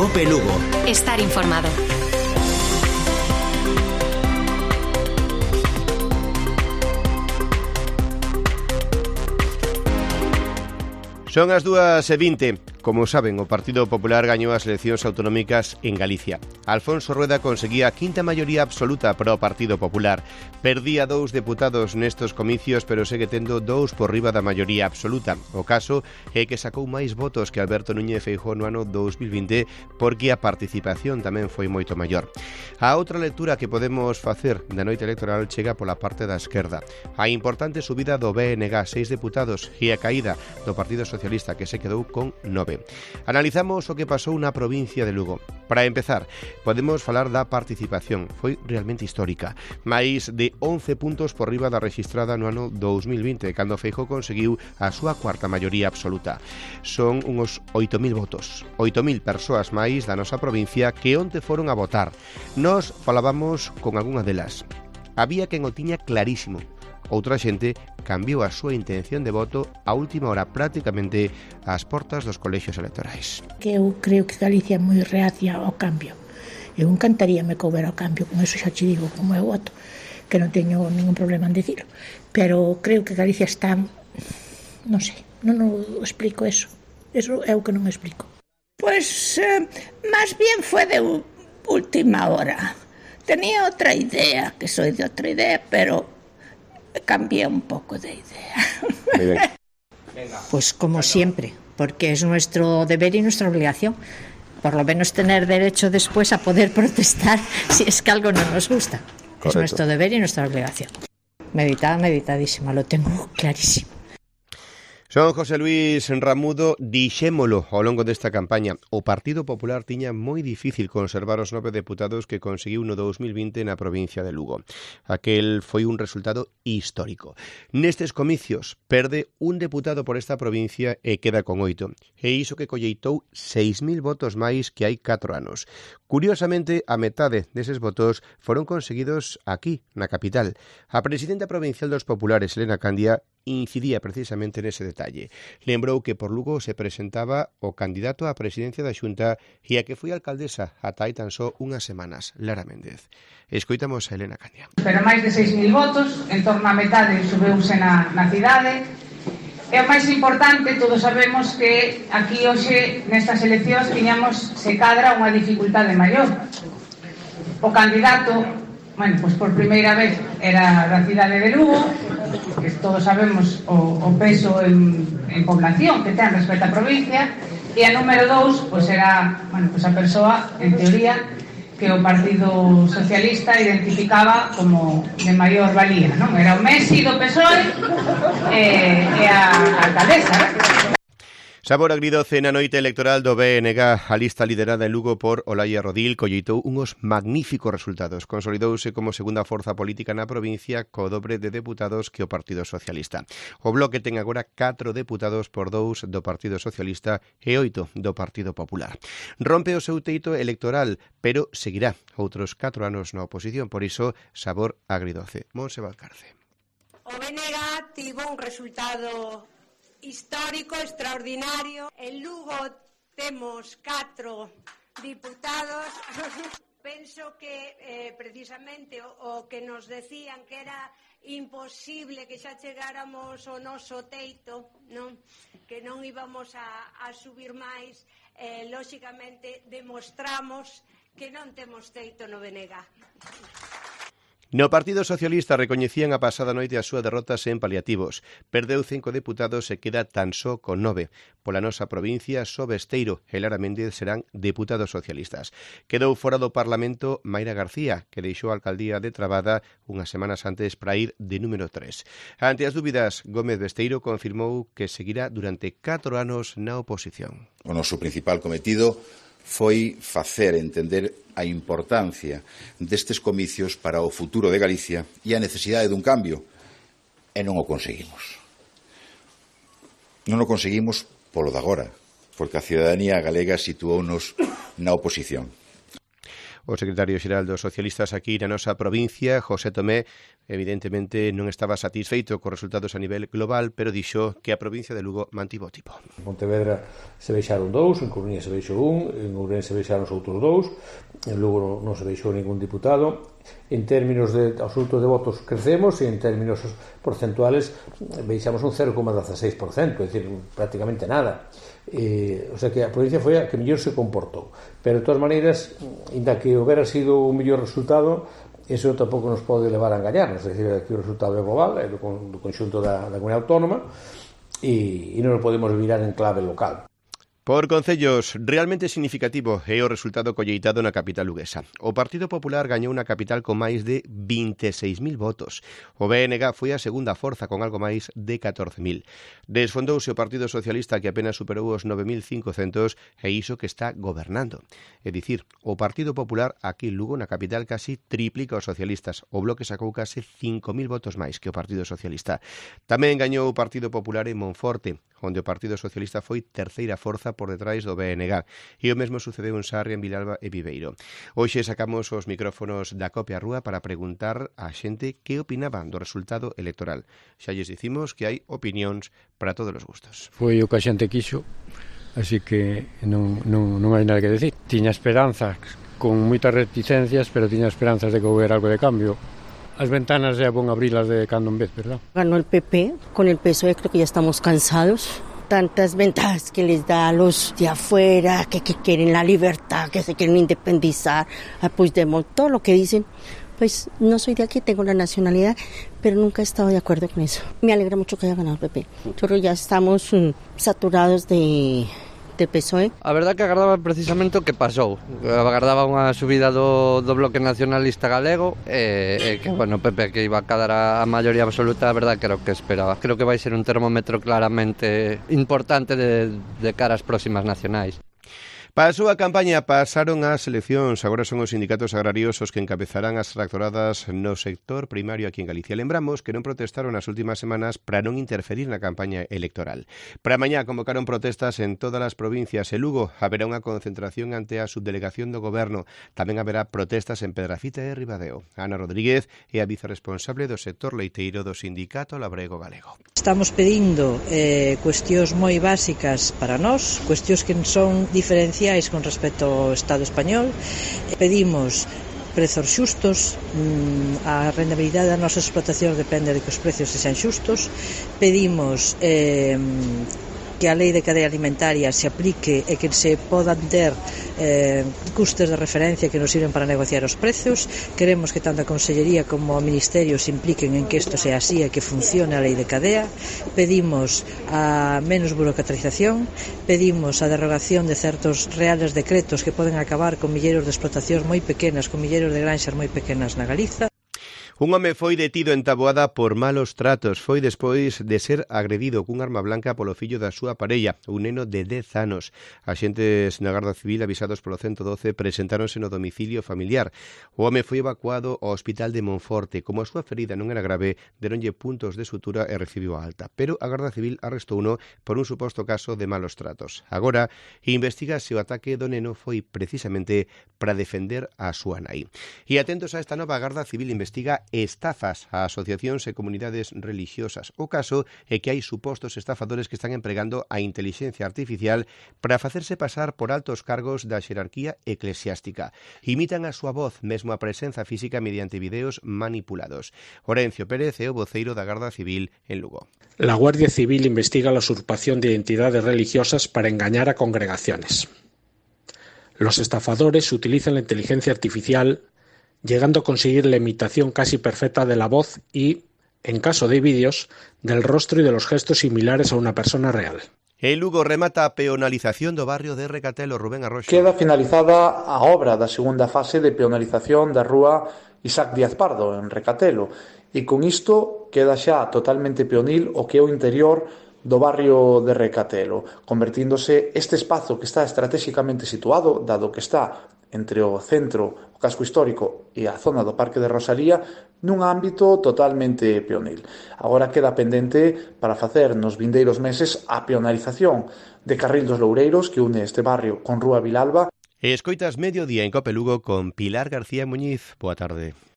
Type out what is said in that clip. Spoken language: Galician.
Cope Lugo. Estar informado. Son as 2:20. Como saben, o Partido Popular gañou as eleccións autonómicas en Galicia. Alfonso Rueda conseguía a quinta maioría absoluta para o Partido Popular. Perdía 2 deputados nestos comicios, pero segue tendo 2 por riba da maioría absoluta. O caso é que sacou máis votos que Alberto Núñez Feijóo no ano 2020, porque a participación tamén foi moito maior. A outra lectura que podemos facer da noite electoral chega pola parte da esquerda. A importante subida do BNG, 6 deputados, e a caída do Partido Socialista, que se quedou con 9. Analizamos o que pasou na provincia de Lugo. Para empezar, podemos falar da participación. Foi realmente histórica. Máis de 11 puntos por riba da registrada no ano 2020, cando Feijóo conseguiu a súa cuarta maioría absoluta. Son uns 8.000 votos. 8.000 persoas máis da nosa provincia que onte foron a votar. Nos falábamos con algunha delas. Había quen o tiña clarísimo. Outra xente cambiou a súa intención de voto a última hora, prácticamente ás portas dos colexios electorais. Que eu creo que Galicia é moi reacia ao cambio. Eu encantaríame que houbera o cambio, con eso xa te digo como é o voto, que non teño ningún problema en dicilo. Pero creo que Galicia está, non sei, non o explico eso. Eso é o que non explico. Pois, máis bien foi de última hora. Tenía outra idea, que soy de outra idea, pero cambié un poco de idea. Pues como siempre, porque es nuestro deber y nuestra obligación. Por lo menos tener derecho después a poder protestar si es que algo no nos gusta. Correcto. Es nuestro deber y nuestra obligación. Meditadísima, lo tengo clarísimo. Son José Luis Ramudo, dixémolo ao longo desta campaña. O Partido Popular tiña moi difícil conservar os 9 deputados que conseguiu no 2020 na provincia de Lugo. Aquel foi un resultado histórico. Nestes comicios, perde un deputado por esta provincia e queda con 8. E iso que colleitou 6.000 votos máis que hai 4 anos. Curiosamente, a metade deses votos foron conseguidos aquí, na capital. A presidenta provincial dos populares, Elena Candia, incidía precisamente nese detalle. Lembrou que por Lugo se presentaba o candidato á presidencia da Xunta e a que foi alcaldesa ata hai tan só unhas semanas, Lara Méndez. Escoitamos a Elena Candia. Pero máis de 6.000 votos, en torno a metade subeuse na cidade. E o máis importante, todos sabemos que aquí hoxe nestas eleccións tiñamos, se cadra, unha dificultade maior. O candidato, bueno, pois por primeira vez era da cidade de Lugo, que todos sabemos o peso en población que ten respecto á provincia, e a número 2, pois era, bueno, pois a persoa, en teoría, que o Partido Socialista identificaba como de maior valía, non? Era o Messi do PSOE e a alcaldesa, Sabor agridoce na noite electoral do BNG. A lista liderada en Lugo por Olaia Rodil colleitou unhos magníficos resultados. Consolidouse como segunda forza política na provincia co dobre de deputados que o Partido Socialista. O Bloque ten agora 4 deputados por 2 do Partido Socialista e 8 do Partido Popular. Rompe o seu teito electoral, pero seguirá outros 4 anos na oposición. Por iso, sabor agridoce. Monse Valcarce. O BNG tivo un resultado histórico, extraordinario. En Lugo temos 4 diputados. Penso que precisamente o que nos decían que era imposible que xa chegáramos ao noso teito, non? Que non íbamos a subir máis, lóxicamente demostramos que non temos teito no BNG. No Partido Socialista recoñecían a pasada noite a súa derrota sen paliativos. Perdeu 5 deputados e queda tan só con 9. Pola nosa provincia, só Besteiro e Lara Méndez serán deputados socialistas. Quedou fora do Parlamento Mayra García, que deixou a alcaldía de Trabada unhas semanas antes para ir de número 3. Ante as dúbidas, Gómez Besteiro confirmou que seguirá durante 4 anos na oposición. O noso principal cometido foi facer entender a importancia destes comicios para o futuro de Galicia e a necesidade dun cambio, e non o conseguimos. Non o conseguimos polo de agora, porque a cidadanía galega situounos na oposición. O secretario xeral dos socialistas aquí na nosa provincia, José Tomé, evidentemente non estaba satisfeito cos resultados a nivel global, pero dixo que a provincia de Lugo mantivo o tipo. En Pontevedra se veixaron 2, en Coruña se veixou 1, en Ourense se veixaron os outros 2, en Lugo non se veixou ningún diputado. En términos de absolutos de votos crecemos e en términos porcentuales veixamos un 0,16%, é dicir, prácticamente nada. O sea que a provincia foi a que mellor se comportou, pero de todas maneiras, ainda que houbera sido un mellor resultado, eso tampouco nos pode levar a engañarnos, é dicir, que o resultado é global, é do conxunto da comunidade autónoma e non o podemos virar en clave local. Por concellos, realmente significativo é o resultado colleitado na capital luguesa. O Partido Popular gañou na capital con máis de 26.000 votos. O BNG foi a segunda forza con algo máis de 14.000. Desfondouse o Partido Socialista que apenas superou os 9.500 e iso que está gobernando. É dicir, o Partido Popular aquí en Lugo na capital casi triplica os socialistas. O Bloque sacou case 5.000 votos máis que o Partido Socialista. Tamén gañou o Partido Popular en Monforte, onde o Partido Socialista foi terceira forza por detrás do BNG. E o mesmo sucedeu en Sarria, en Vilalba e Viveiro. Hoxe sacamos os micrófonos da Copia Rúa para preguntar á xente que opinaban do resultado electoral. Xa lles dicimos que hai opinións para todos os gustos. Foi o que a xente quixo, así que non hai nada que decir. Tiña esperanzas, con moitas reticencias, pero tiña esperanzas de que houbera algo de cambio. As ventanas é bon abrilas de cando en vez, ¿verdad? Ganó el PP, con el PSOE creo que ya estamos cansados. Tantas ventajas que les da a los de afuera, que quieren la libertad, que se quieren independizar, a Puigdemont, todo lo que dicen. Pues no soy de aquí, tengo la nacionalidad, pero nunca he estado de acuerdo con eso. Me alegra mucho que haya ganado el PP. Nosotros ya estamos saturados de PSOE. A verdad que agardaba precisamente o que pasou. Agardaba unha subida do Bloque Nacionalista Galego e que, bueno, PP que iba a cadar a maioría absoluta, a verdad que era o que esperaba. Creo que vai ser un termómetro claramente importante de cara ás próximas nacionais. Pasou a campaña, pasaron as eleccións, agora son os sindicatos agrarios os que encabezarán as tractoradas no sector primario aquí en Galicia. Lembramos que non protestaron nas últimas semanas para non interferir na campaña electoral. Para mañá convocaron protestas en todas as provincias. En Lugo haberá unha concentración ante a subdelegación do Goberno. Tamén haberá protestas en Pedrafita e Ribadeo. Ana Rodríguez é a vicerresponsable do sector leiteiro do Sindicato Labrego Galego. Estamos pedindo cuestións moi básicas para nós, cuestións que son diferenciadas con respecto ao Estado español. Pedimos prezos xustos, a rentabilidade das nosas explotacións depende de que os precios sexan xustos. Pedimos que a lei de cadea alimentaria se aplique e que se podan ter custes de referencia que nos sirven para negociar os prezos. Queremos que tanto a Consellería como o Ministerio se impliquen en que isto sea así e que funcione a lei de cadea. Pedimos a menos burocratización, pedimos a derogación de certos reales decretos que poden acabar con milleiros de explotacións moi pequenas, con milleiros de granxas moi pequenas na Galiza. Un home foi detido en Taboada por malos tratos. Foi despois de ser agredido cun arma blanca polo fillo da súa parella, un neno de 10 anos. Axentes na Garda Civil avisados polo 112 presentáronse no domicilio familiar. O home foi evacuado ao hospital de Monforte. Como a súa ferida non era grave, deronlle puntos de sutura e recibiu a alta. Pero a Garda Civil arrestouno por un suposto caso de malos tratos. Agora, investiga se o ataque do neno foi precisamente para defender a súa nai. E atentos a esta nova, Garda Civil investiga estafas a asociacións e comunidades religiosas. O caso é que hai supostos estafadores que están empregando a inteligencia artificial para facerse pasar por altos cargos da xerarquía eclesiástica. Imitan a súa voz, mesmo a presenza física mediante videos manipulados. Orencio Pérez é o voceiro da Garda Civil en Lugo. La Guardia Civil investiga la usurpación de identidades religiosas para engañar a congregaciones. Los estafadores utilizan la inteligencia artificial llegando a conseguir la imitación casi perfecta de la voz y, en caso de vídeos, del rostro y de los gestos similares a una persona real. En Lugo remata a peonalización do barrio de Recatelo. Rubén Arroxo. Queda finalizada a obra da segunda fase de peonalización da rúa Isaac Díaz Pardo, en Recatelo, e con isto queda xa totalmente peonil o que é o interior do barrio de Recatelo, convertíndose este espazo que está estratégicamente situado, dado que está entre o centro, o casco histórico e a zona do Parque de Rosalía, nun ámbito totalmente peonil. Agora queda pendente para facer nos vindeiros meses a peonalización de Carril dos Loureiros, que une este barrio con Rúa Vilalba. Escoitas Mediodía en Cope Lugo con Pilar García Muñiz. Boa tarde.